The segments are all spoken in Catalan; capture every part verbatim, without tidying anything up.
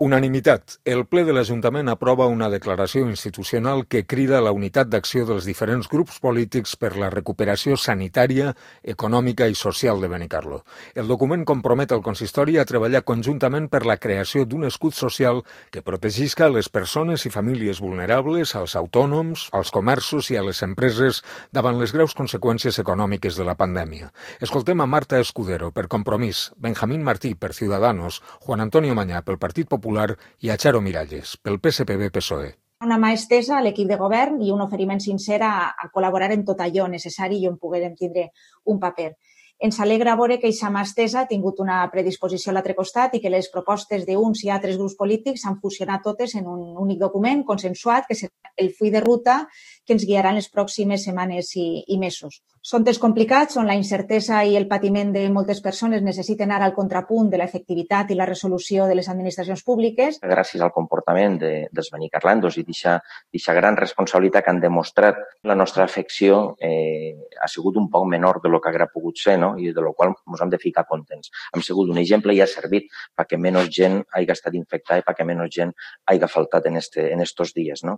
Unanimitat. El ple de l'Ajuntament aprova una declaració institucional que crida a la unitat d'acció dels diferents grups polítics per la recuperació sanitària, econòmica i social de Benicarló. El document compromet el consistori a treballar conjuntament per la creació d'un escut social que protegisca a les persones i famílies vulnerables, als autònoms, als comerços i a les empreses davant les greus conseqüències econòmiques de la pandèmia. Escoltem a Marta Escudero per Compromís, Benjamín Martí per Ciudadanos, Juan Antonio Mañá pel Partit Popular i a Charo Miralles, pel P S P B P S O E. Una mà estesa a l'equip de govern i un oferiment sincer a, a col·laborar en tot allò necessari i on puguem tindre un paper. Ens alegra veure que aquesta mà estesa ha tingut una predisposició a l'altre costat i que les propostes d'uns i altres grups polítics han fusionat totes en un únic document consensuat que serà el full de ruta que ens guiarà en les pròximes setmanes i, i mesos. Són temps complicats on la incertesa i el patiment de moltes persones necessiten ara el contrapunt de l'efectivitat i la resolució de les administracions públiques. Gràcies al comportament de, dels benicarlandos i d'aquesta gran responsabilitat que han demostrat, la nostra afecció eh, ha sigut un poc menor de lo que hauria pogut ser, no? I de lo qual ens hem de ficar contents. Hem sigut un exemple i ha servit perquè menys gent hagi estat infectada i perquè menys gent hagi faltat en, este, en estos dies, no?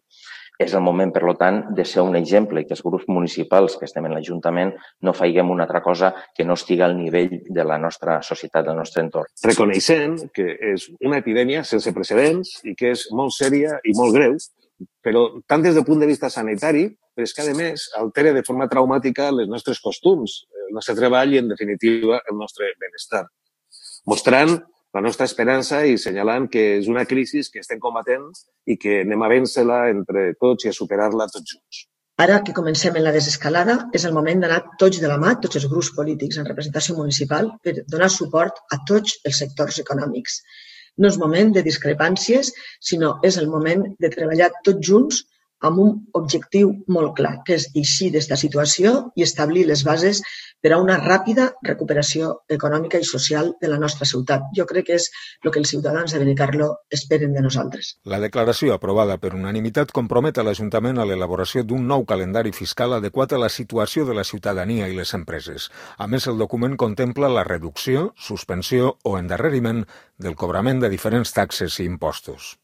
És el moment, per tant, de ser un exemple i que els grups municipals que estem en l'Ajuntament no faiguem una altra cosa que no estigui al nivell de la nostra societat, del nostre entorn. Reconeixent que és una epidèmia sense precedents i que és molt sèria i molt greu, però tant des del punt de vista sanitari, però és que, a més, altera de forma traumàtica les nostres costums, el nostre treball i, en definitiva, el nostre benestar. Mostrant la nostra esperança i assenyalant que és una crisi que estem combatent i que anem a vèncer-la entre tots i a superar-la tots junts. Ara que comencem en la desescalada, és el moment d'anar tots de la mà, tots els grups polítics en representació municipal, per donar suport a tots els sectors econòmics. No és moment de discrepàncies, sinó és el moment de treballar tots junts amb un objectiu molt clar, que és eixir d'esta situació i establir les bases per a una ràpida recuperació econòmica i social de la nostra ciutat. Jo crec que és el que els ciutadans de Benicarló esperen de nosaltres. La declaració aprovada per unanimitat compromet a l'Ajuntament a l'elaboració d'un nou calendari fiscal adequat a la situació de la ciutadania i les empreses. A més, el document contempla la reducció, suspensió o endarreriment del cobrament de diferents taxes i impostos.